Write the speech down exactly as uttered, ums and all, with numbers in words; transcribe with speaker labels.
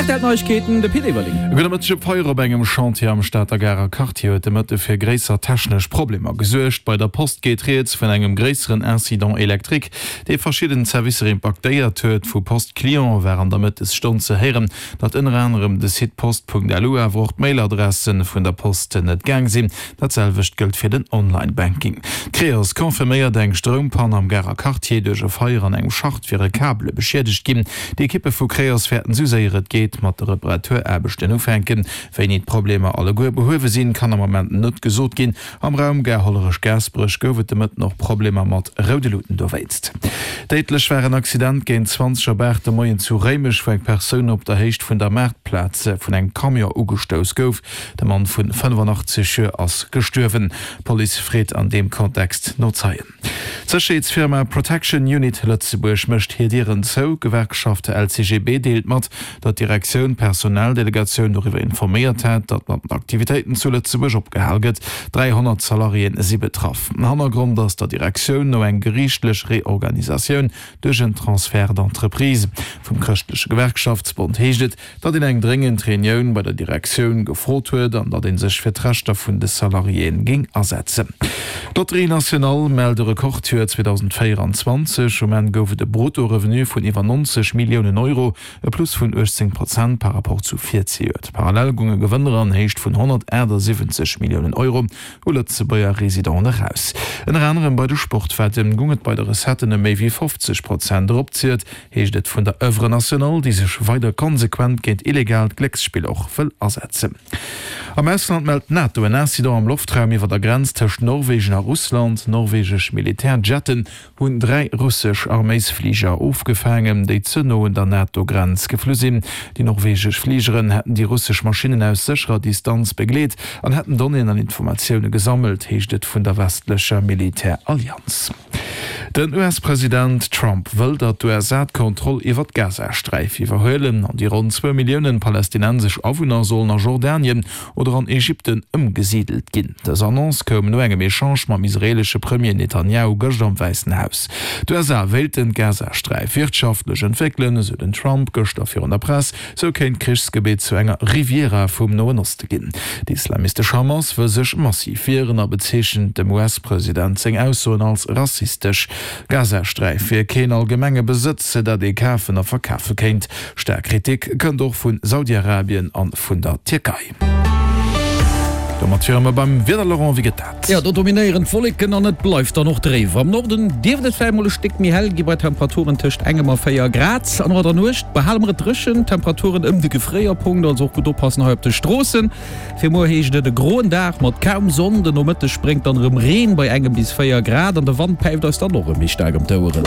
Speaker 1: R T L Neiegkeeten, de Pit Everling.
Speaker 2: E gudde Mëtteg. E Feier op engem Chantier am Stater Garer Quartier huet de Mëtte fir gréisser technesch Problemer gesuergt. Bei der Post geet rieds vun engem gréisseren Incident électrique, dee verschidden Servicer impaktéiert huet. Vu Post Client war an der Mëttesstonn ze héieren, datt ënner anerem de Site post Punkt L U awer och d'Mailadresse vun der Post net gaang sinn. Dat selwecht gëllt fir den Online-Banking. D'Creos confirméiert eng Stroumpann am Garer Quartier. Duerch e Feier an engem Schacht wiere Kabele beschiedegt ginn. D'Ekippe vu Creos wäerten esou séier et geet mat de Reparaturaarbechten ufänken. Wéini d'Problemer alleguer behuewe sinn, kann am Moment net gesot ginn. Am Raum Gare Hollerech-Gaasperech gouf et de Mëtten och Problemer mat roude Luuten dowéinst. Déidlech war en Accident géint zwanzeg op aacht de Moien zu Réimech, wou eng Persoun op der Héicht vun der Maartplaz vun engem Camion ugestouss gouf. De Mann vun fënnefenachtzeg Joer ass gestuerwen. D'Police freet an deem Kontext no Zeien. D'Sécherheetsfirma Protection Unit Lëtzebuerg mécht hir Dieren zou. D'Gewerkschaft L C G B deelt mat, datt d'Direktioun d'Personaldelegatioun doriwwer informéiert hat, datt mat den Aktivitéiten zu Lëtzebuerg opgehal gëtt. dräihonnert Salariéen si betraff. Hannergrond ass der Direktioun no eng geriichtlech Reorganisatioun duerch en Transfert d'entreprise. Vum Chrëschtleche Gewerkschaftsbond heescht et, datt een eng dréngend Reunioun bei der Direktioun gefrot huet an datt ee sech fir d'Rechter vun de Salariéen géing asetzen. D'Loterie Nationale mellt e Rekordjoer zweedausendvéieranzwanzeg. Um Enn gouf et e Brutto-Revenu vun iwwer nonzeg Milliounen Euro, e Plus vun uechtzéng Prozent par rapport zu virzejoert. Parallel gounge Gewënner an Héicht vun honnertaachtsiwwenzeg Milliounen Euro u Lëtzebuerger Residenten eraus. Ënner anerem bei de Sportwetten goung et bei de Recetten ëm méi wéi fofzeg Prozent erop, zielt, heescht et vun der Oeuvre Nationale, déi sech weider konsequent géint illegaalt Glécksspill och wëll asetzen. Am Ausland mellt d'NATO en Incident am Loftraum iwwer der Grenz tëscht Norwegen a Russland. Norwegesch Militärjetten hunn dräi russesch Arméisfliger ofgefaangen, déi ze no un der NATO-Grenz geflu sinn. Déi norwegesch Fligeren hätten déi russesch Maschinnen aus sécherer Distanz begleet an hätten Donnéeën an Informatioune gesammelt, heescht et vun der westlecher Militärallianz. Den U S-President Trump wëll, datt d'U S A d'Kontroll iwwer d'Gazasträif iwwerhuelen an déi ronn zwou Milliounen palästinensesch Awunner sollen a Jordanien oder an Ägypten ëmgesidelt ginn. Dës Annonce koum no engem Echange mam israeelesche Premier Netanjahu gëschter am Wäissen Haus. D'U S A wéilten d'Gazasträif wirtschaftlech entwéckelen, esou den Trump gëschter virun der Press. Sou kéint d'Krichsgebitt zu enger Riviera vum Noen Oste ginn. Déi islamistesch Hamas wëll sech massiv wieren a bezeechent dem U S-President seng Aussoen als rassistesch. D'Gazasträif wier keen allgemenge Besëtz, dat ee kafen a verkafe kéint. Staark Kritik kënnt och vu Saudi-Arabien a vun der Tierkei. Domat wiere mer beim Wieder. Laurent, wéi gëtt dat?
Speaker 1: Jo, do dominéieren d'Wolleken an et bleift dann och dréif. Am Norden dierft et vläicht mol e Stéck méi hell gi bei Temperaturen tëscht engem a véier Grad. An och an der Nuecht behale mer et dréchen, Temperaturen ëm de Gefréierpunkt, also och gutt oppassen hei op de Stroossen. Fir muer heescht et e groen Dag mat kaum Sonn, den Nomëtteg bréngt dann erëm Reen bei engem bis véier Grad an de Wand päift eis dann och erëm méi staark ëm d'Oueren.